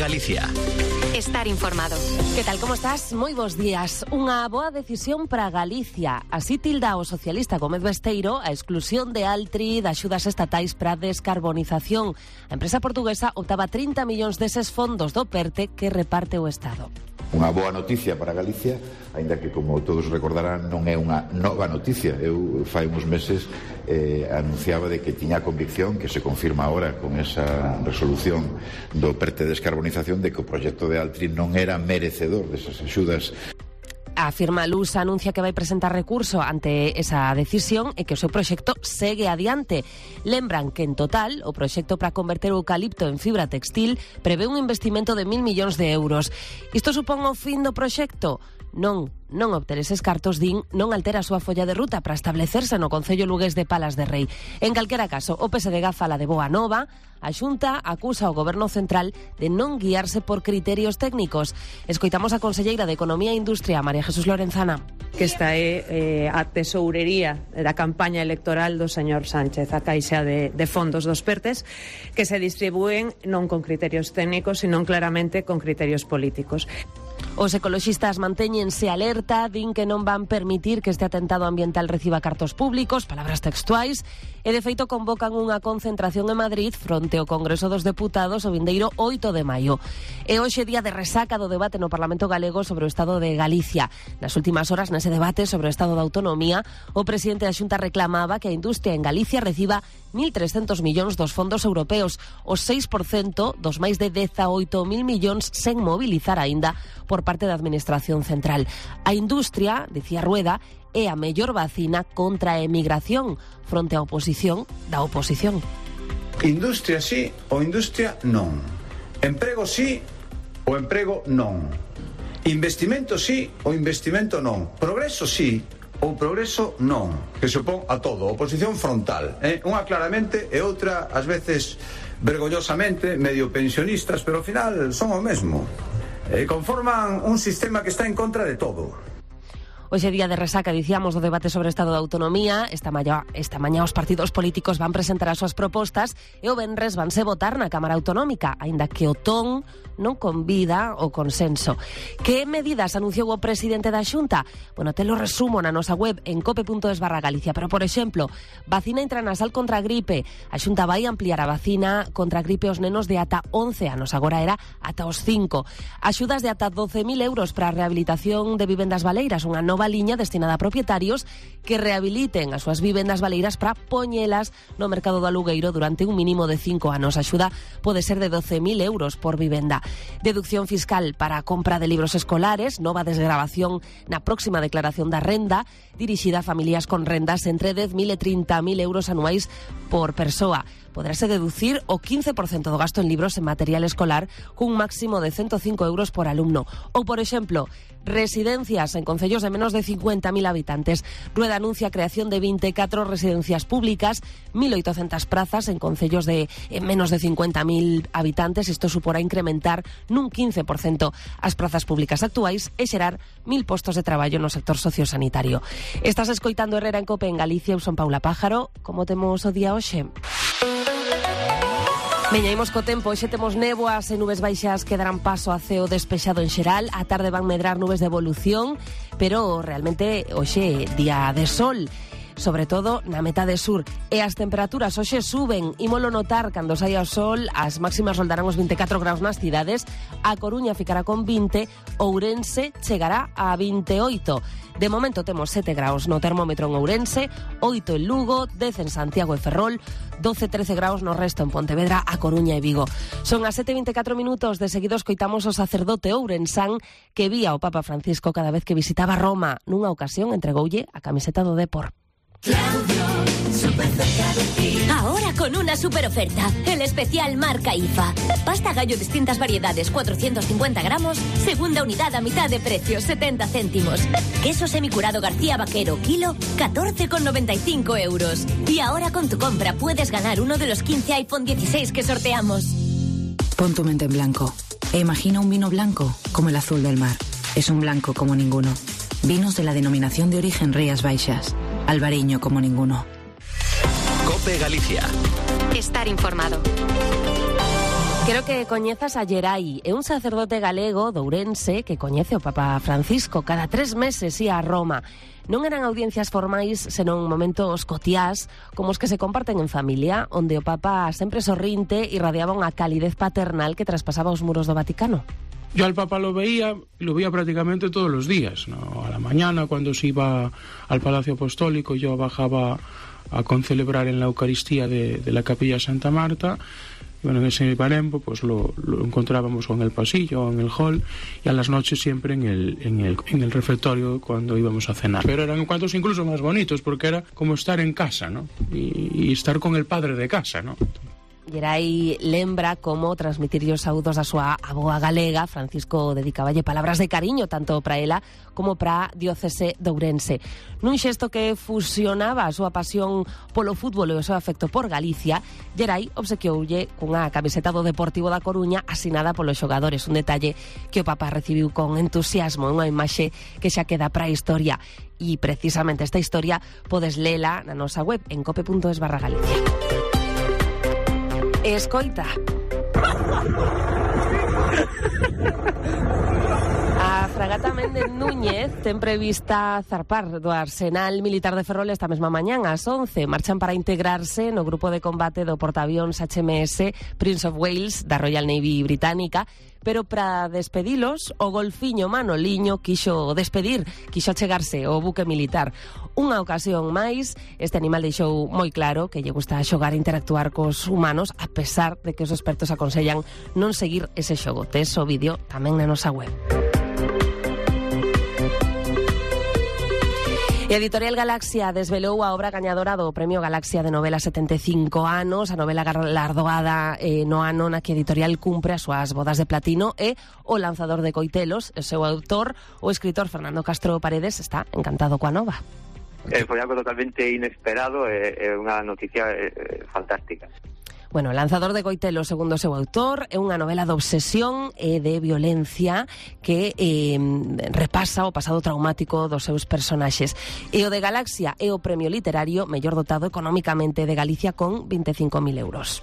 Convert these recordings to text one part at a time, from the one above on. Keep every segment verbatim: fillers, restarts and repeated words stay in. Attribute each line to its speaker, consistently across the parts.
Speaker 1: Galicia.
Speaker 2: Estar informado.
Speaker 3: Que tal, como estás? Moi bons días. Unha boa decisión para Galicia. Así tilda o socialista Gómez Besteiro a exclusión de Altri de axudas estatais para a descarbonización. A empresa portuguesa optaba trinta millóns deses fondos do PERTE que reparte o Estado.
Speaker 4: Unha boa noticia para Galicia, aínda que, como todos recordarán, non é unha nova noticia. Eu, fai uns meses, eh, anunciaba de que tiña a convicción, que se confirma agora con esa resolución do PERTE de descarbonización, de que o proxecto de Altri non era merecedor desas axudas.
Speaker 3: A firma Lusa anuncia que vai presentar recurso ante esa decisión e que o seu proxecto segue adiante. Lembran que, en total, o proxecto para converter o eucalipto en fibra textil prevé un investimento de mil millóns de euros. Isto supón o fin do proxecto? Non, non obter eses cartos, din, non altera a súa folla de ruta para establecerse no concello lugués de Palas de Rei. En calquera caso, o P S D G fala de boa nova. A Xunta acusa ao Goberno Central de non guiarse por criterios técnicos. Escoitamos a conselleira de Economía e Industria, María Jesús Lorenzana.
Speaker 5: Que esta é eh, a tesourería da campaña electoral do señor Sánchez, a caixa de, de fondos dos PERTES, que se distribúen non con criterios técnicos, sino claramente con criterios políticos.
Speaker 3: Os ecoloxistas mantéñense alerta, din que non van permitir que este atentado ambiental reciba cartos públicos, palabras textuais, e de feito convocan unha concentración en Madrid fronte ao Congreso dos Deputados o vindeiro oito de maio. E hoxe día de resaca do debate no Parlamento Galego sobre o Estado de Galicia. Nas últimas horas, nese debate sobre o Estado da Autonomía, o presidente da Xunta reclamaba que a industria en Galicia reciba mil trescentos millóns dos fondos europeos, o seis por cento dos máis de dezaoito mil millóns sen mobilizar aínda por parte da Administración Central. A industria, dicía Rueda, é a mellor vacina contra a emigración fronte á oposición da oposición.
Speaker 6: Industria sí ou industria non. Emprego sí ou emprego non. Investimento sí ou investimento non. Progreso sí ou progreso non. Que se opón a todo. Oposición frontal. Eh? Unha claramente e outra, ás veces, vergoñosamente, medio pensionistas, pero ao final son o mesmo. Eh, conforman un sistema que está en contra de todo.
Speaker 3: Hoxe día de resaca, dicíamos, do debate sobre o Estado da Autonomía. Esta mañá, esta mañá os partidos políticos van presentar as súas propostas e o venres vanse votar na Cámara Autonómica, aínda que o ton non convida o consenso. Que medidas anunciou o presidente da Xunta? Bueno, te lo resumo na nosa web en cope punto es barra Galicia, pero, por exemplo, vacina intranasal contra a gripe. A Xunta vai ampliar a vacina contra a gripe aos nenos de ata once anos, agora era ata os cinco. Axudas de ata doce mil euros para a rehabilitación de vivendas baleiras, unha nova liña destinada a propietarios que rehabiliten as súas vivendas baleiras para poñelas no mercado do alugueiro durante un mínimo de cinco anos. A axuda pode ser de doce mil euros por vivenda. Deducción fiscal para a compra de libros escolares, nova desgravación na próxima declaración da renda, dirixida a familias con rendas entre dez mil e trinta mil euros anuais por persoa. Poderase deducir o quince por cento do gasto en libros e material escolar cun máximo de ciento cinco euros por alumno. Ou, por exemplo, residencias en concellos de menos de cincuenta mil habitantes. Rueda anuncia a creación de vinte e catro residencias públicas, mil oitocentas prazas en concellos de menos de cincuenta mil habitantes. Isto suporá incrementar nun quince por cento as prazas públicas actuais e xerar mil postos de traballo no sector sociosanitario. Estás escoitando Herrera en Cope en Galicia. Eu son Paula Pájaro. Como temos o día hoxe? Veñaimos co tempo, hoxe temos néboas e nubes baixas que darán paso a ceo despexado en xeral. A tarde van medrar nubes de evolución, pero realmente hoxe día de sol, sobre todo na metade sur. E as temperaturas hoxe suben, ímolo notar cando saia o sol. As máximas roldarán os vinte e catro graus nas cidades. A Coruña ficará con vinte, Ourense chegará a vinte e oito. De momento temos sete graus no termómetro en Ourense, oito en Lugo, dez en Santiago e Ferrol, doce a trece graus no resto en Pontevedra, A Coruña e Vigo. Son as sete e vinte e catro minutos. De seguido escoitamos o sacerdote ourensán que vía o Papa Francisco cada vez que visitaba Roma. Nunha ocasión entregoulle a camiseta do Depor.
Speaker 7: Claudio, súper cerca de ti. Ahora con una super oferta, el especial marca I F A. Pasta gallo distintas variedades, cuatrocientos cincuenta gramos, segunda unidad a mitad de precio, setenta céntimos. Queso semicurado García Vaquero, kilo, catorce con noventa y cinco euros. Y ahora con tu compra puedes ganar uno de los quince iPhone dieciséis que sorteamos.
Speaker 8: Pon tu mente en blanco e imagina un vino blanco como el azul del mar. Es un blanco como ninguno. Vinos de la denominación de origen Rías Baixas. Albariño como ninguno.
Speaker 1: Cope Galicia.
Speaker 2: Estar informado.
Speaker 3: Quero que coñezas a Gerai, é un sacerdote galego de Ourense que coñece o Papa Francisco. Cada tres meses ia a Roma. Non eran audiencias formais, senón momentos cotiás, como os que se comparten en familia, onde o Papa sempre sorrinte irradiaba unha calidez paternal que traspasaba os muros do Vaticano.
Speaker 1: Yo al Papa lo veía, lo veía prácticamente todos los días, ¿no? A la mañana cuando se iba al Palacio Apostólico, yo bajaba a concelebrar en la Eucaristía de, de la Capilla Santa Marta. Bueno, en ese barembo pues lo, lo encontrábamos o en el pasillo o en el hall, y a las noches siempre en el, en el, en el refectorio cuando íbamos a cenar. Pero eran encuentros incluso más bonitos porque era como estar en casa, ¿no? Y, y estar con el padre de casa, ¿no?
Speaker 3: Gerai lembra como transmitirlle os saúdos da súa avoa galega. Francisco dedicáballe palabras de cariño tanto para ela como para a diocese de Ourense. Nun xesto que fusionaba a súa pasión polo fútbol e o seu afecto por Galicia, Gerai obsequioulle cunha camiseta do Deportivo da Coruña asinada polos xogadores, un detalle que o Papa recibiu con entusiasmo, unha imaxe que xa queda para a historia. E precisamente esta historia podes lela na nosa web en cope punto es barra Galicia. Escoita. A fragata Méndez Núñez ten prevista zarpar do Arsenal Militar de Ferrol esta mesma mañán ás once. Marchan para integrarse no grupo de combate do portaavións H M S Prince of Wales da Royal Navy británica, pero para despedilos o golfiño Manoliño quixo despedir, quixo achegarse ao buque militar. Unha ocasión máis, este animal deixou moi claro que lle gusta xogar e interactuar cos humanos, a pesar de que os expertos aconsellan non seguir ese xogo. Tes o vídeo tamén na nosa web. E a Editorial Galaxia desvelou a obra gañadora do Premio Galaxia de novela setenta e cinco anos, a novela galardoada eh, no ano na que a editorial cumpre as súas bodas de platino, e O lanzador de coitelos, o seu autor, o escritor Fernando Castro Paredes, está encantado coa nova.
Speaker 9: Eh, foi algo totalmente inesperado e eh, eh, unha noticia eh, fantástica.
Speaker 3: Bueno, Lanzador de coitelos, segundo o seu autor, é unha novela de obsesión e de violencia que eh, repasa o pasado traumático dos seus personaxes. E o de Galaxia é o premio literario mellor dotado económicamente de Galicia con vinte e cinco mil euros.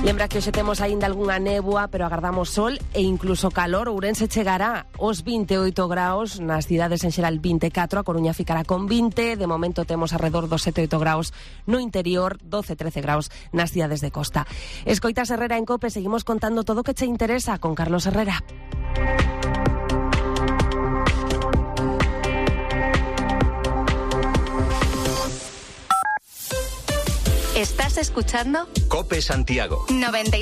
Speaker 3: Lembra que hoxe temos aínda algunha néboa, pero agardamos sol e incluso calor. Ourense chegará aos vinte e oito graus, nas cidades en xeral vinte e catro, a Coruña ficará con vinte, de momento temos alrededor dos sete e oito graus no interior, doce e trece graus nas cidades de costa. Escoitas Herrera en Cope, seguimos contando todo o que che interesa con Carlos Herrera.
Speaker 2: ¿Estás escuchando?
Speaker 10: Cope Santiago.
Speaker 2: noventa y